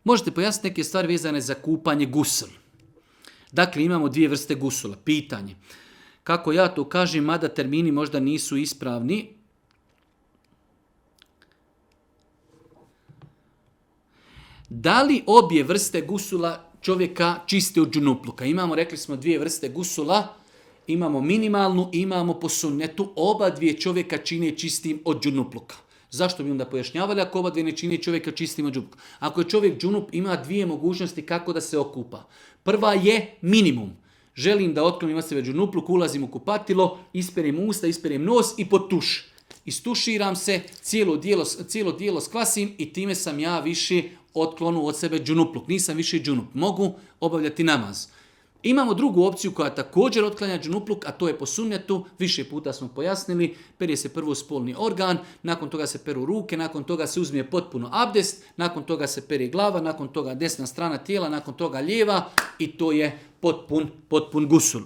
Možete pojasniti neke stvari vezane za kupanje gusl. Dakle, imamo dvije vrste gusula. Pitanje. Kako ja to kažem, mada termini možda nisu ispravni. Da li obje vrste gusula čovjeka čiste od džunupluka? Imamo, rekli smo, dvije vrste gusula. Imamo minimalnu, imamo po sunnetu. Oba dvije čovjeka čine čistim od džunupluka. Zašto bi onda pojašnjavali ako oba dvije ne čine čovjeka čistim od džunupluka? Ako je čovjek džunup, ima dvije mogućnosti kako da se okupa. Prva je minimum. Želim da otklonim od sebe džunupluk, ulazim u kupatilo, isperem usta, isperem nos i pod tuš. Istuširam se, cijelo dijelo skvasim i time sam ja više otklonu od sebe džunupluk. Nisam više džunup. Mogu obavljati namaz. Imamo drugu opciju koja također otklanja džunupluk, a to je po sunnetu. Više puta smo pojasnili. Perje se prvo spolni organ, nakon toga se peru ruke, nakon toga se uzme potpuno abdest, nakon toga se pere glava, nakon toga desna strana tijela, nakon toga lijeva i to je potpun gusul.